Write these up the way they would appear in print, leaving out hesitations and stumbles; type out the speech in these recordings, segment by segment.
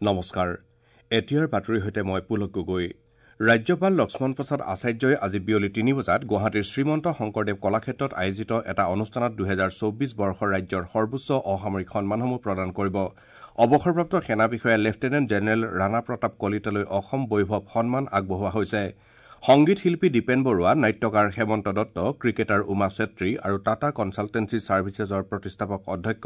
নমস্কাৰ, এতিয়াৰ বাতৰিৰ সৈতে মই পুলক গগৈ। ৰাজ্যপাল লক্ষ্মণ প্ৰসাদ আচাৰ্যই আজি বিয়লি ৩ বজাত গুৱাহাটীৰ শ্ৰীমন্ত শংকৰদেৱ কলাক্ষেত্ৰত আয়োজিত এটা অনুষ্ঠানত ২০২৪ বৰ্ষৰ ৰাজ্যৰ সৰ্বোচ্চ অসামৰিক সন্মানসমূহ প্ৰদান কৰিব। অৱসৰপ্ৰাপ্ত সেনা বিষয়া লেফটেনেণ্ট জেনেৰেল ৰাণা প্ৰতাপ কলিতালৈ অসম বৈভৱ সন্মান আগবঢ়োৱা হৈছে। সংগীত শিল্পী দীপেন বৰুৱা, নাট্যকাৰ হেমন্ত দত্ত, ক্ৰিকেটাৰ উমা চেত্ৰী আৰু টাটা কনছালটেঞ্চি ছাৰ্ভিচেছৰ প্ৰতিষ্ঠাপক অধ্যক্ষ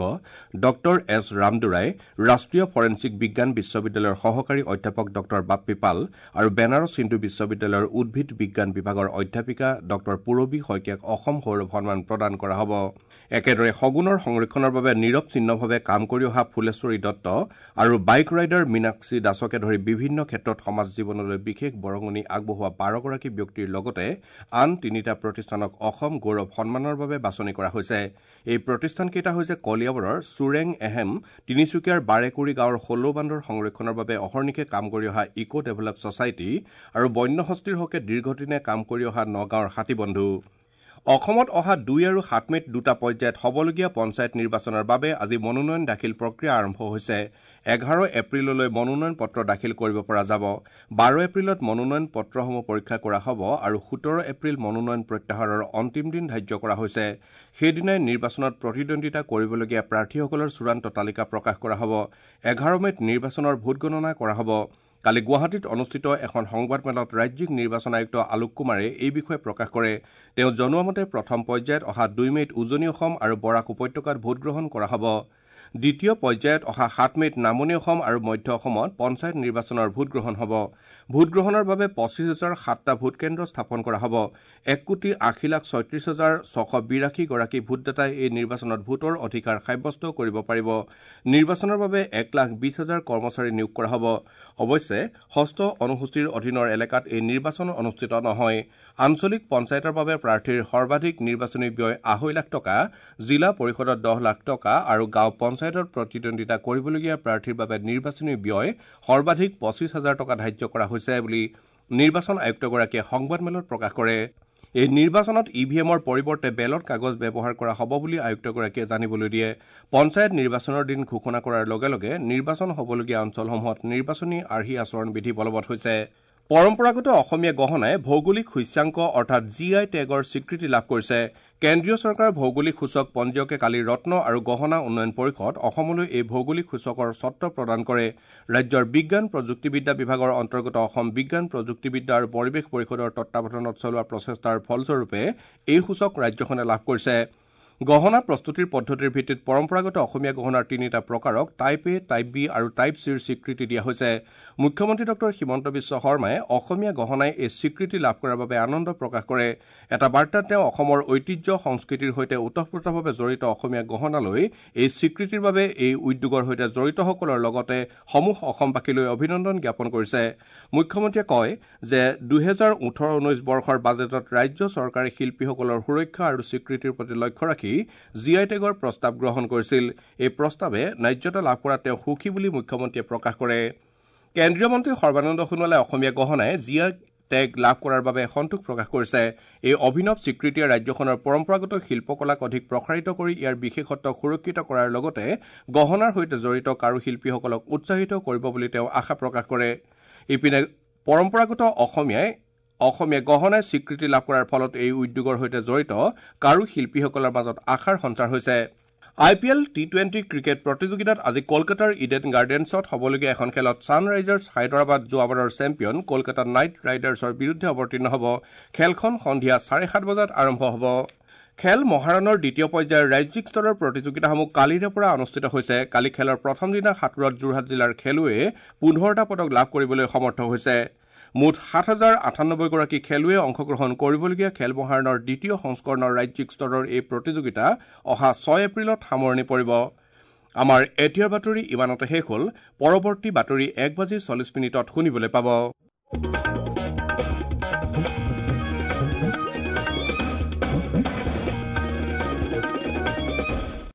ডঃ এছ ৰামদুৰাই, ৰাষ্ট্ৰীয় ফৰেনছিক বিজ্ঞান বিশ্ববিদ্যালয়ৰ সহকাৰী অধ্যাপক ডঃ বাপ্পী পাল আৰু বেনাৰস হিন্দু বিশ্ববিদ্যালয়ৰ উদ্ভিদ বিজ্ঞান বিভাগৰ অধ্যাপিকা ডঃ পূৰবী শইকীয়াক অসম সৌৰভ সন্মান প্ৰদান কৰা হ'ব। একেদৰে শগুনৰ সংৰক্ষণৰ বাবে নিৰৱচ্ছিন্নভাৱে কাম কৰি অহা ফুলেশ্বৰী দত্ত আৰু বাইক ৰাইডাৰ মীনাক্ষী দাসকে ধৰি বিভিন্ন ক্ষেত্ৰত সমাজ জীৱনলৈ বিশেষ বৰঙণি আগবঢ়োৱা ১২গৰাকী ব্যক্তিৰ লগতে আন ৩টা প্ৰতিষ্ঠানক অসম গৌৰৱ সন্মানৰ বাবে বাছনি কৰা হৈছে। এই প্ৰতিষ্ঠানকেইটা হৈছে কলিয়াবৰৰ চুৰেং এহেম, তিনিচুকীয়াৰ বাৰেকুৰি গাঁৱৰ হলৌ বান্দৰ সংৰক্ষণৰ বাবে অহৰ্নিশে কাম কৰি অহা ইক' ডেভেলপ ছচাইটি আৰু বন্যহস্তীৰ হকে দীৰ্ঘদিনে কাম কৰি অহা নগাঁৱৰ হাতীবন্ধু। অসমত অহা ২ আৰু ৭ মে'ত দুটা পৰ্যায়ত হ'বলগীয়া পঞ্চায়ত নিৰ্বাচনৰ বাবে আজি মনোনয়ন দাখিল প্ৰক্ৰিয়া আৰম্ভ হৈছে। ১১ এপ্ৰিললৈ মনোনয়ন পত্ৰ দাখিল কৰিব পৰা যাব। ১২ এপ্ৰিলত মনোনয়ন পত্ৰসমূহ পৰীক্ষা কৰা হ'ব আৰু ১৭ এপ্ৰিল মনোনয়ন প্ৰত্যাহাৰৰ অন্তিম দিন ধাৰ্য কৰা হৈছে। সেইদিনাই নিৰ্বাচনত প্ৰতিদ্বন্দ্বিতা কৰিবলগীয়া প্ৰাৰ্থীসকলৰ চূড়ান্ত তালিকা প্ৰকাশ কৰা হ'ব। ১১ মে'ত নিৰ্বাচনৰ ভোটগণনা কৰা হ'ব। কালি গুৱাহাটীত অনুষ্ঠিত এখন সংবাদমেলত ৰাজ্যিক নিৰ্বাচন আয়ুক্ত আলোক কুমাৰে এই বিষয়ে প্ৰকাশ কৰে। তেওঁ জনোৱা মতে প্ৰথম পৰ্যায়ত অহা ২ মে'ত উজনি অসম আৰু বৰাক উপত্যকাত ভোটগ্ৰহণ কৰা হ'ব। দ্বিতীয় পৰ্যায়ত অহা ৭ মে'ত নামনি অসম আৰু মধ্য অসমত পঞ্চায়ত নিৰ্বাচনৰ ভোটগ্ৰহণ হ'ব। ভোটগ্ৰহণৰ বাবে ২৫,০০৭টা ভোটকেন্দ্ৰ স্থাপন কৰা হ'ব। ১,৮০,৩৬,৬৮২ গৰাকী ভোটদাতাই এই নিৰ্বাচনত ভোটৰ অধিকাৰ সাব্যস্ত কৰিব পাৰিব। নিৰ্বাচনৰ বাবে ১,২০,০০০ কৰ্মচাৰী নিয়োগ কৰা হ'ব। অৱশ্যে ষষ্ঠ অনুসূচীৰ অধীনৰ এলেকাত এই নিৰ্বাচন অনুষ্ঠিত নহয়। আঞ্চলিক পঞ্চায়তৰ বাবে প্ৰাৰ্থীৰ সৰ্বাধিক নিৰ্বাচনী ব্যয় ২.৫ লাখ টকা, জিলা পৰিষদত ১০ লাখ টকা আৰু গাঁও পঞ্চায়তত প্ৰতিদ্বন্দ্বিতা কৰিবলগীয়া প্ৰাৰ্থীৰ বাবে নিৰ্বাচনী ব্যয় সৰ্বাধিক ২৫,০০০ টকা ধাৰ্য কৰা হৈছে বুলি নিৰ্বাচন আয়ুক্তগৰাকীয়ে সংবাদমেলত প্ৰকাশ কৰে। এই নিৰ্বাচনত ই ভি এমৰ পৰিৱৰ্তে বেলট কাগজ ব্যৱহাৰ কৰা হ'ব বুলি আয়ুক্তগৰাকীয়ে জানিবলৈ দিয়ে। পঞ্চায়ত নিৰ্বাচনৰ দিন ঘোষণা কৰাৰ লগে লগে নিৰ্বাচন হ'বলগীয়া অঞ্চলসমূহত নিৰ্বাচনী আৰ্হি আচৰণ বিধি বলবৎ হৈছে। পৰম্পৰাগত অসমীয়া গহনাই ভৌগোলিক সূচ্যাংক অৰ্থাৎ জি I টেগৰ স্বীকৃতি লাভ কৰিছে। কেন্দ্ৰীয় চৰকাৰৰ ভৌগোলিক সূচক পঞ্জীয়কে কালি ৰত্ন আৰু গহনা উন্নয়ন পৰিষদ অসমলৈ এই ভৌগোলিক সূচকৰ স্বত্ব প্ৰদান কৰে। ৰাজ্যৰ বিজ্ঞান প্ৰযুক্তিবিদ্যা বিভাগৰ অন্তৰ্গত অসম বিজ্ঞান প্ৰযুক্তিবিদ্যা আৰু পৰিৱেশ পৰিষদৰ তত্বাৱধানত চলোৱা প্ৰচেষ্টাৰ ফলস্বৰূপে এই সূচক ৰাজ্যখনে লাভ কৰিছে। গহনা প্ৰস্তুতিৰ পদ্ধতিৰ ভিত্তিত পৰম্পৰাগত অসমীয়া গহনাৰ ৩টা প্ৰকাৰক টাইপ এ, টাইপ বি আৰু টাইপ চিৰ স্বীকৃতি দিয়া হৈছে। মুখ্যমন্ত্ৰী ডঃ হিমন্ত বিশ্ব শৰ্মাই অসমীয়া গহনাই এই স্বীকৃতি লাভ কৰাৰ বাবে আনন্দ প্ৰকাশ কৰে। এটা বাৰ্তাত তেওঁ অসমৰ ঐতিহ্য সংস্কৃতিৰ সৈতে ওতঃপ্ৰোতভাৱে জড়িত অসমীয়া গহনালৈ এই স্বীকৃতিৰ বাবে এই উদ্যোগৰ সৈতে জড়িতসকলৰ লগতে সমূহ অসমবাসীলৈ অভিনন্দন জ্ঞাপন কৰিছে। মুখ্যমন্ত্ৰীয়ে কয় যে ২০১৮-১৯ বৰ্ষৰ বাজেটত ৰাজ্য চৰকাৰে শিল্পীসকলৰ সুৰক্ষা আৰু স্বীকৃতিৰ প্ৰতি লক্ষ্য ৰাখি জি I টেগৰ প্ৰস্তাৱ গ্ৰহণ কৰিছিল। এই প্ৰস্তাৱে ন্যায্যতা লাভ কৰাত তেওঁ সুখী বুলি মুখ্যমন্ত্ৰীয়ে প্ৰকাশ কৰে। কেন্দ্ৰীয় মন্ত্ৰী সৰ্বানন্দ সোণোৱালে অসমীয়া গহনাই জি I tag লাভ কৰাৰ বাবে সন্তোষ প্ৰকাশ কৰিছে। এই অভিনৱ স্বীকৃতিয়ে ৰাজ্যখনৰ পৰম্পৰাগত শিল্পকলাক অধিক প্ৰসাৰিত কৰি ইয়াৰ বিশেষত্বক সুৰক্ষিত কৰাৰ লগতে গহনাৰ সৈতে জড়িত কাৰুশিল্পীসকলক উৎসাহিত কৰিব বুলি তেওঁ আশা প্ৰকাশ কৰে। ইপিনে পৰম্পৰাগত অসমীয়া গহনাই স্বীকৃতি লাভ কৰাৰ ফলত এই উদ্যোগৰ সৈতে জড়িত কাৰুশিল্পীসকলৰ মাজত আশাৰ সঞ্চাৰ হৈছে। আই পি এল টি-20 ক্ৰিকেট প্ৰতিযোগিতাত আজি কলকাতাৰ ইডেন গাৰ্ডেন্সত হ'বলগীয়া এখন খেলত ছানৰাইজাৰ্ছ হায়দৰাবাদ যোৱাবাৰৰ চেম্পিয়ন কলকাতা নাইট ৰাইডাৰ্ছৰ বিৰুদ্ধে অৱতীৰ্ণ হ'ব। খেলখন সন্ধিয়া ৭:৩০ বজাত আৰম্ভ হ'ব। খেল মহাৰণৰ দ্বিতীয় পৰ্যায়ৰ ৰাজ্যিক স্তৰৰ প্ৰতিযোগিতাসমূহ কালিৰে পৰা অনুষ্ঠিত হৈছে। কালি খেলৰ প্ৰথম দিনা সাঁতোৰত যোৰহাট জিলাৰ খেলুৱৈয়ে ১৫টা পদক লাভ কৰিবলৈ সমৰ্থ হৈছে। মুঠ ৭,০৯৮ গৰাকী খেলুৱৈয়ে অংশগ্ৰহণ কৰিবলগীয়া খেল মহাৰণৰ দ্বিতীয় সংস্কৰণৰ ৰাজ্যিক স্তৰৰ এই প্ৰতিযোগিতা অহা ৬ এপ্ৰিলত সামৰণি পৰিব। আমাৰ এতিয়াৰ বাতৰি ইমানতে শেষ হ'ল। পৰৱৰ্তী বাতৰি ১:৪০ শুনিবলৈ পাব।